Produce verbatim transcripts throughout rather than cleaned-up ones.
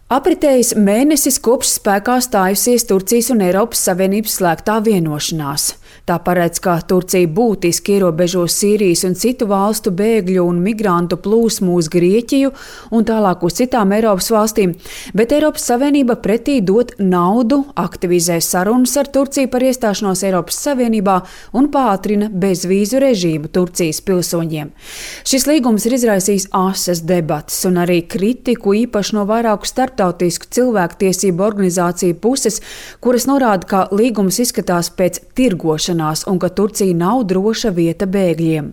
Apritējis mēnesis kopš spēkā stājusies Turcijas un Eiropas Savienības slēgtā vienošanās. Tā paredz, ka Turcija būtiski ierobežos Sīrijas un citu valstu bēgļu un migrantu plūsmu uz Grieķiju un tālāk uz citām Eiropas valstīm, bet Eiropas Savienība pretī dod naudu, aktivizē sarunas ar Turciju par iestāšanos Eiropas Savienībā un pātrina bezvīzu režīmu Turcijas pilsoņiem. Šis līgums ir izraisījis asas debates un arī kritiku īpaši no vairāku starptautisku cilvēktiesību organizāciju puses, kuras norāda, ka līgums izskatās pēc tirgošanās un ka Turcija nav droša vieta bēgļiem.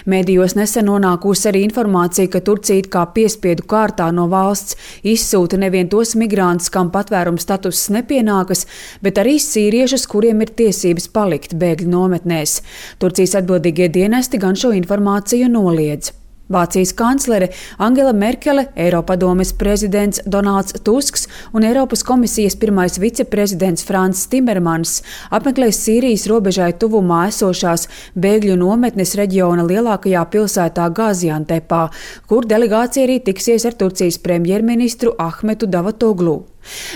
Mēdījos nesen nonākusi arī informācija, ka Turcija it kā piespiedu kārtā no valsts izsūta nevien tos migrantus, kam patvēruma status nepienākas, bet arī sīriešus, kuriem ir tiesības palikt bēgļu nometnēs. Turcijas atbildīgie dienesti gan šo informāciju noliedz. Vācijas kanclere Angela Merkele, Eiropadomes prezidents Donalds Tusks un Eiropas komisijas pirmais viceprezidents Frans Timermans apmeklēs Sīrijas robežai tuvumā esošās bēgļu nometnes reģiona lielākajā pilsētā Gaziantepā, kur delegācija arī tiksies ar Turcijas premjerministru Ahmetu Davatoglu.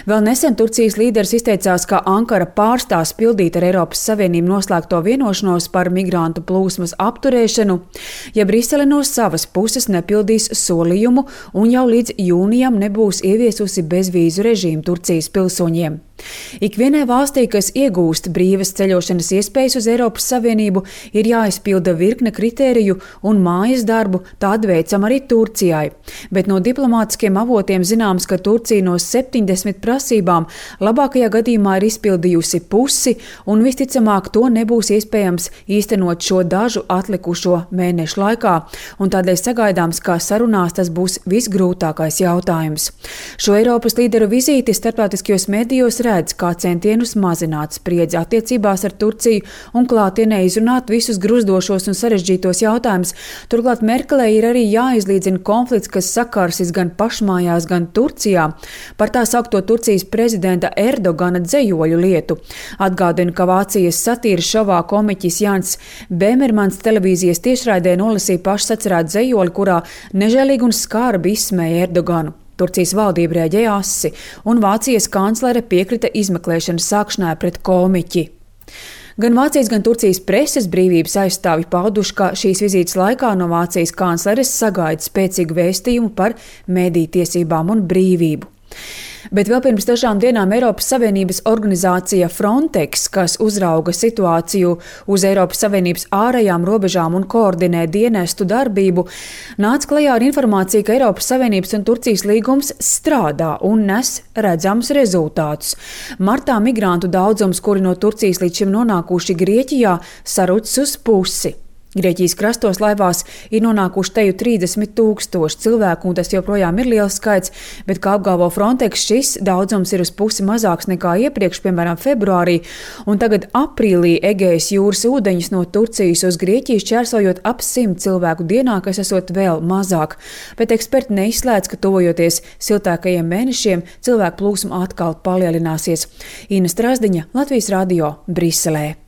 Vēl nesen Turcijas līderis izteicās, ka Ankara pārstās pildīt ar Eiropas Savienību noslēgto vienošanos par migrantu plūsmas apturēšanu, ja Brisele no savas puses nepildīs solījumu un jau līdz jūnijam nebūs ieviesusi bezvīzu režīmu Turcijas pilsoņiem. Ikvienai valstī, kas iegūst brīvas ceļošanas iespējas uz Eiropas Savienību, ir jāizpilda virkne kritēriju un mājas darbu, tādu veicam arī Turcijai. Bet no diplomātiskiem avotiem zināms, ka Turcija no septiņdesmit prasībām labākajā gadījumā ir izpildījusi pusi un visticamāk to nebūs iespējams īstenot šo dažu atlikušo mēnešu laikā, un tādēļ sagaidāms, ka sarunās tas būs visgrūtākais jautājums. Šo Eiropas līderu vizīti starptautiskajos medijos redz kā centienus mazināt spriedzi attiecībās ar Turciju un klātienē izrunāt visus gruzdošos un sarežģītos jautājumus. Turklāt Merkelei ir arī jāizlīdzina konflikts, kas sakārsis gan pašmājās, gan Turcijā par tā saukto Turcijas prezidenta Erdogana dzejoļu lietu. Atgādinu, ka Vācijas satīras šovā komiķis Jans Bēmermans televīzijas tiešraidē nolasīja pašsacerētu dzejoļu, kurā nežēlīgi un skarbi izsmēja Erdoganu. Turcijas valdība rēģēja asi, un Vācijas kanclere piekrita izmeklēšanas sākšanai pret komiķi. Gan Vācijas, gan Turcijas preses brīvības aizstāvji pauduši, ka šīs vizītes laikā no Vācijas kancleres sagaida spēcīgu vēstījumu par mediju tiesībām un brīvību. Bet vēl pirms dažām dienām Eiropas Savienības organizācija Frontex, kas uzrauga situāciju uz Eiropas Savienības ārējām robežām un koordinē dienestu darbību, nāca klajā ar informāciju, ka Eiropas Savienības un Turcijas līgums strādā un nes redzams rezultātus. Martā migrantu daudzums, kuri no Turcijas līdz šim nonākuši Grieķijā, sarucis uz pusi. Grieķijas krastos laivās ir nonākuši teju trīsdesmit tūkstoši cilvēku, un tas joprojām ir liels skaits, bet, kā apgalvo Frontex, šis daudzums ir uz pusi mazāks nekā iepriekš, piemēram, februārī, un tagad aprīlī Egejas jūras ūdeņus no Turcijas uz Grieķiju šķērsojot ap simt cilvēku dienā, kas esot vēl mazāk. Bet eksperti neizslēdz, ka tuvojoties siltākajiem mēnešiem, cilvēku plūsma atkal palielināsies. Ina Strazdiņa, Latvijas radio, Briselē.